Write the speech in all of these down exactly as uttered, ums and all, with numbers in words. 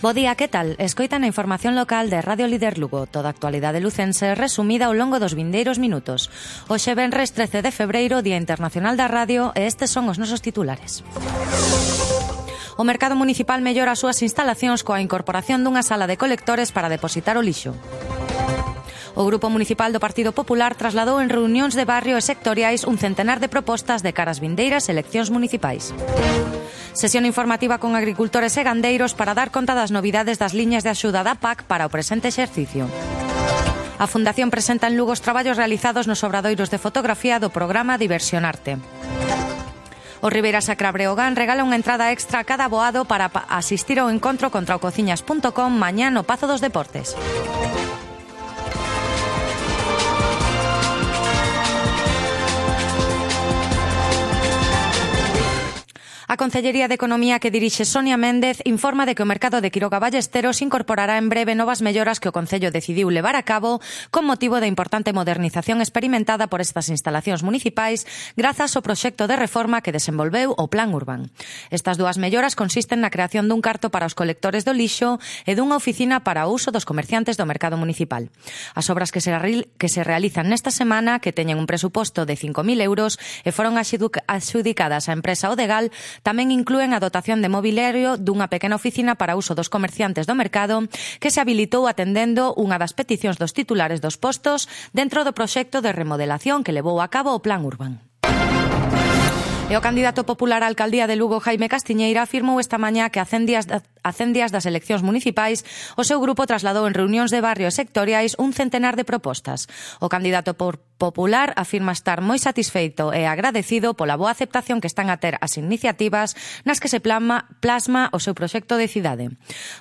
Bo día, que tal? Escoitan a información local de Radio Líder Lugo, toda a actualidade lucense resumida ao longo dos vindeiros minutos. Hoxe venres trece de febreiro, Día Internacional da Radio, e estes son os nosos titulares. O mercado municipal mellora as súas instalacións coa incorporación dunha sala de colectores para depositar o lixo. O Grupo Municipal do Partido Popular trasladou en reunións de barrio e sectoriais un centenar de propostas de caras vindeiras eleccións municipais. Sesión informativa con agricultores e gandeiros para dar conta das novidades das liñas de axuda da P A C para o presente exercicio. A Fundación presenta en Lugo os traballos realizados nos obradoiros de fotografía do programa Diversionarte. O Ribeira Sacra Breogán regala unha entrada extra a cada aboado para asistir ao encontro contra o cociñas punto com mañá no Pazo dos Deportes. A Concellería de Economía que dirixe Sonia Méndez informa de que o mercado de Quiroga Ballesteros incorporará en breve novas melloras que o Concello decidiu levar a cabo con motivo da importante modernización experimentada por estas instalacións municipais grazas ao proxecto de reforma que desenvolveu o Plan Urbán. Estas dúas melloras consisten na creación dun carto para os colectores do lixo e dunha oficina para o uso dos comerciantes do mercado municipal. As obras que se, que se realizan nesta semana, que teñen un presuposto de cinco mil euros e foron adxudicadas á empresa Odegal, tamén inclúen a dotación de mobiliario dunha pequena oficina para uso dos comerciantes do mercado que se habilitou atendendo unha das peticións dos titulares dos postos dentro do proxecto de remodelación que levou a cabo o Plan Urbán. E o candidato popular á alcaldía de Lugo, Jaime Castiñeira, afirmou esta mañá que a cen días das eleccións municipais o seu grupo trasladou en reunións de barrio e sectoriais un centenar de propostas. O candidato por popular afirma estar moi satisfeito e agradecido pola boa aceptación que están a ter as iniciativas nas que se plasma, plasma o seu proxecto de cidade.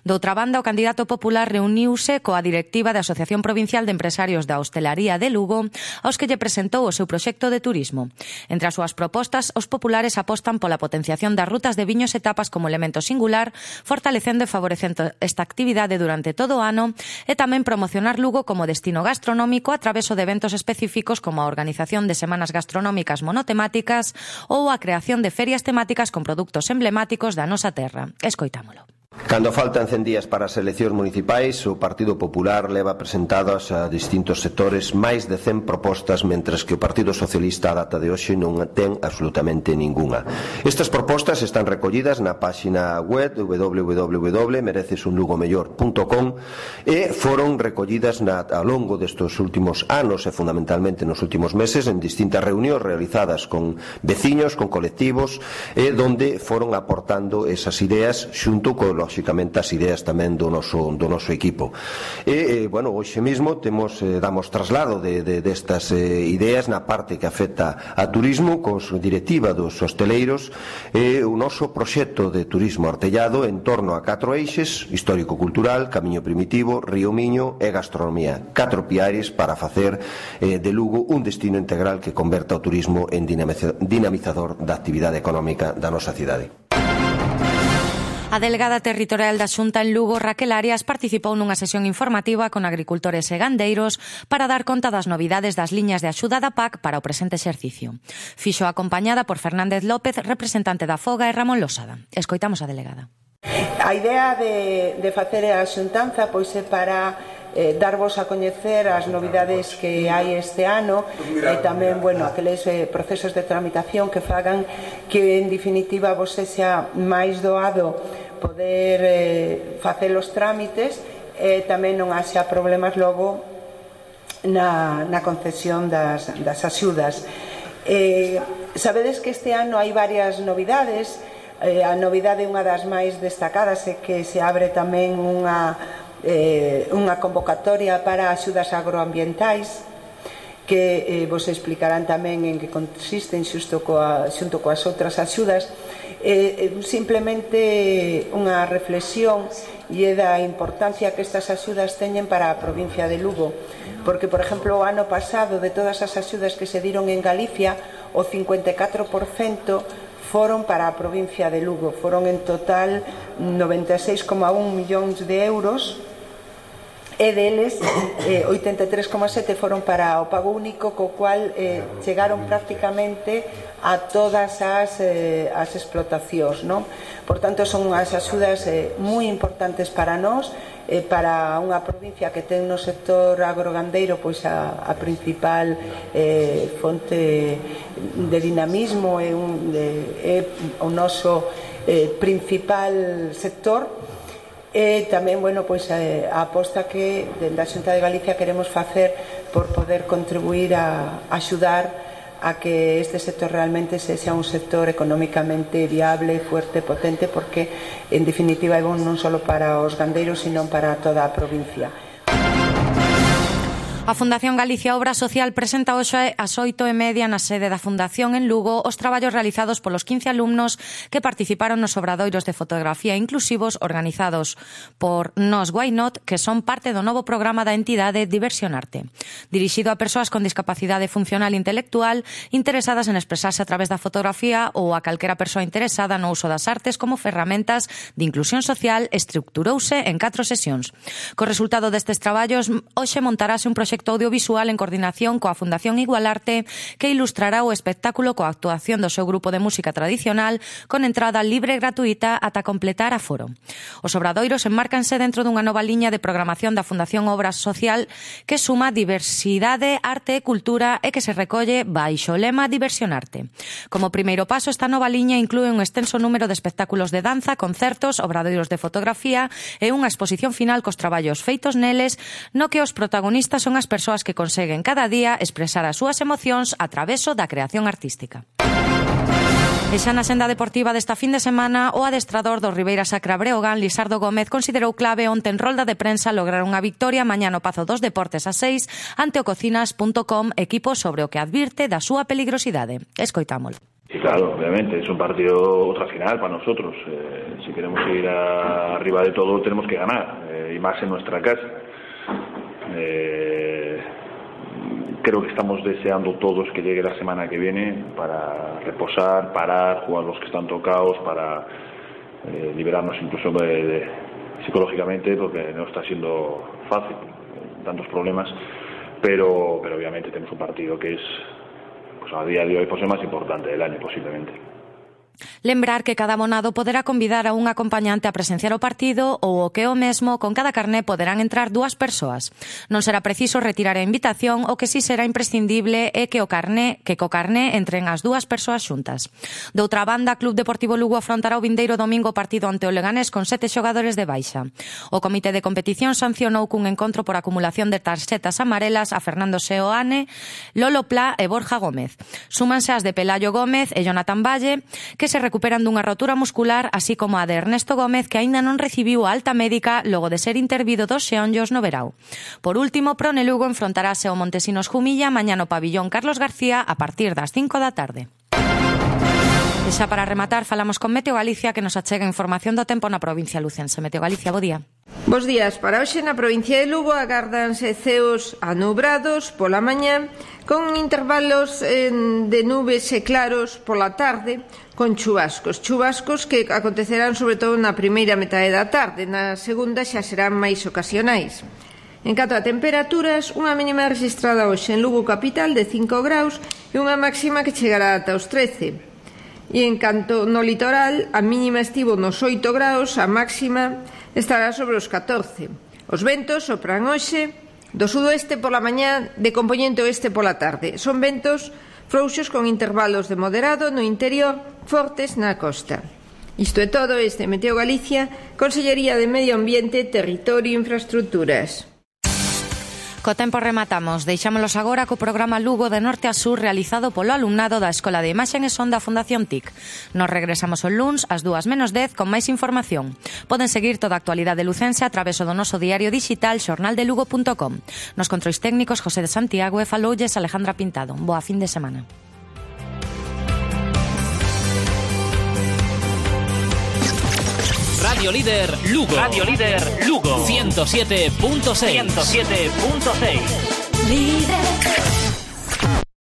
Doutra banda, o candidato popular reuniuse coa directiva da Asociación Provincial de Empresarios da Hostelaría de Lugo, aos que lle presentou o seu proxecto de turismo. Entre as súas propostas, os populares apostan pola potenciación das rutas de viños e tapas como elemento singular, fortalecendo e favorecendo esta actividade durante todo o ano e tamén promocionar Lugo como destino gastronómico a través de eventos específicos como a organización de semanas gastronómicas monotemáticas ou a creación de ferias temáticas con produtos emblemáticos da nosa terra. Escoitámolo. Cando faltan cen días para as eleccións municipais, o Partido Popular leva presentadas a distintos sectores máis de cen propostas, mentres que o Partido Socialista a data de hoxe non ten absolutamente ningunha. Estas propostas están recollidas na páxina web w w w punto mereces un lugo mellor punto com e foron recollidas na, ao longo destes últimos anos e fundamentalmente nos últimos meses en distintas reunións realizadas con veciños, con colectivos e donde foron aportando esas ideas xunto con lóxicamente as ideas tamén do noso, do noso equipo. E, eh, bueno, hoxe mesmo temos, eh, damos traslado de, de, destas eh, ideas na parte que afecta a turismo, cos directiva dos hosteleiros, e eh, o noso proxecto de turismo artellado en torno a catro eixes: histórico-cultural, camiño primitivo, río Miño e gastronomía. Catro piares para facer eh, de Lugo un destino integral que converta o turismo en dinamizador da actividade económica da nosa cidade. A delegada territorial da Xunta en Lugo, Raquel Arias, participou nunha sesión informativa con agricultores e gandeiros para dar conta das novidades das liñas de axuda da P A C para o presente exercicio. Fixo acompañada por Fernández López, representante da Foga, e Ramón Losada. Escoitamos a delegada. A idea de, de facer a xuntanza pois é para eh, darvos a coñecer as novidades que hai este ano e tamén, bueno, aqueles eh, procesos de tramitación que fagan que en definitiva vos sexa máis doado poder eh, facer os trámites e tamén non haxa problemas logo na, na concesión das, das axudas. Eh, sabedes que este ano hai varias novidades. Eh, a novidade, unha das máis destacadas, é que se abre tamén unha, eh, unha convocatoria para axudas agroambientais que eh, vos explicarán tamén en que consisten xusto coa, xunto coas outras axudas. Eh, simplemente unha reflexión e da importancia que estas axudas teñen para a provincia de Lugo, porque, por exemplo, o ano pasado, de todas as axudas que se diron en Galicia, o cincuenta e catro por cento foron para a provincia de Lugo. Foron en total noventa e seis coma un millóns de euros e deles eh, oitenta e tres coma sete foron para o pago único, co cual eh, chegaron prácticamente a todas as, eh, as explotacións, non? Por tanto, son as axudas eh, moi importantes para nós, eh, para unha provincia que ten no sector agrogandeiro pois a, a principal eh, fonte de dinamismo e un, de, é o noso eh, principal sector. E tamén, bueno, pois a, a aposta que dende a Xunta de Galicia queremos facer por poder contribuir a, a axudar a que este sector realmente sexa un sector económicamente viable, fuerte, potente, porque en definitiva é bon non só para os gandeiros, sino para toda a provincia. A Fundación Galicia Obra Social presenta hoxe ás oito e media na sede da Fundación en Lugo os traballos realizados polos quince alumnos que participaron nos obradoiros de fotografía inclusivos organizados por Nos Why Not, que son parte do novo programa da entidade Diversionarte, dirixido a persoas con discapacidade funcional e intelectual interesadas en expresarse a través da fotografía ou a calquera persoa interesada no uso das artes como ferramentas de inclusión social. Estructurouse en catro sesións. Co resultado destes traballos, hoxe montarase un proxecto audiovisual en coordinación coa Fundación Igualarte que ilustrará o espectáculo coa actuación do seu grupo de música tradicional con entrada libre e gratuita ata completar aforo. Os obradoiros enmárcanse dentro dunha nova liña de programación da Fundación Obra Social que suma diversidade, arte e cultura e que se recolle baixo o lema Diversionarte. Como primeiro paso, esta nova liña inclúe un extenso número de espectáculos de danza, concertos, obradoiros de fotografía e unha exposición final cos traballos feitos neles, no que os protagonistas son as persoas que conseguen cada día expresar as súas emocións a traveso da creación artística. E xa na senda deportiva desta fin de semana, o adestrador do Ribeira Sacra Breogán, Lisardo Gómez, considerou clave onte en rolda de prensa lograr unha victoria mañá no Pazo dos Deportes a seis ante o cocinas punto com, equipo sobre o que advirte da súa peligrosidade. Escoitámolo. Sí, claro, obviamente, es un partido, otra final para nosotros. Eh, si queremos seguir a, arriba de todo, tenemos que ganar, eh, y más en nuestra casa. Eh, creo que estamos deseando todos que llegue la semana que viene para reposar, parar, jugar los que están tocados, para eh, liberarnos incluso de, de, psicológicamente, porque no está siendo fácil, tantos problemas, pero, pero obviamente tenemos un partido que es, pues a día de hoy, pues el más importante del año posiblemente. Lembrar que cada abonado poderá convidar a un acompañante a presenciar o partido ou o que o mesmo, con cada carné poderán entrar dúas persoas. Non será preciso retirar a invitación, o que si será imprescindible é que o carné, que co carné entren as dúas persoas xuntas. Doutra banda, Club Deportivo Lugo afrontará o vindeiro domingo o partido ante o Leganés con sete xogadores de baixa. O Comité de Competición sancionou cun encontro por acumulación de tarxetas amarelas a Fernando Seoane, Lolo Pla e Borja Gómez. Súmanse as de Pelayo Gómez e Jonathan Valle, que se recuperan dunha rotura muscular, así como a de Ernesto Gómez, que aínda non recibiu a alta médica logo de ser intervido dos xeonllos no verao. Por último, Prone Lugo enfrontarase ao Montesinos Jumilla mañá no pabillón Carlos García a partir das cinco da tarde. E xa para rematar, falamos con Meteo Galicia, que nos achega información do tempo na provincia lucense. Meteo Galicia, bo día. Bos días. Para hoxe na provincia de Lugo agárdanse ceos anubrados pola mañá, con intervalos eh, de nubes e claros pola tarde, con chubascos. Chubascos que acontecerán sobre todo na primeira metade da tarde, na segunda xa serán máis ocasionais. En canto a temperaturas, unha mínima registrada hoxe en Lugo capital de cinco graus e unha máxima que chegará ata os trece. E en canto no litoral, a mínima estivo nos oito graus, a máxima estará sobre os catorce. Os ventos sopran hoxe do sudoeste pola mañá, de compoñente oeste pola tarde. Son ventos frouxos con intervalos de moderado no interior, fortes na costa. Isto é todo. Este Meteo Galicia, Consellería de Medio Ambiente, Territorio e Infraestructuras. Co tempo rematamos. Deixámolos agora co programa Lugo de norte a sur realizado polo alumnado da Escola de Imaxen e Son da Fundación T I C. Nos regresamos o luns ás dúas menos dez con máis información. Poden seguir toda a actualidade lucense a través do noso diario digital xornal de lugo punto com. Nos controis técnicos José de Santiago e faloulles Alejandra Pintado. Boa fin de semana. Radio Líder Lugo. Radio Líder Lugo. ciento siete punto seis. ciento siete punto seis. Líder.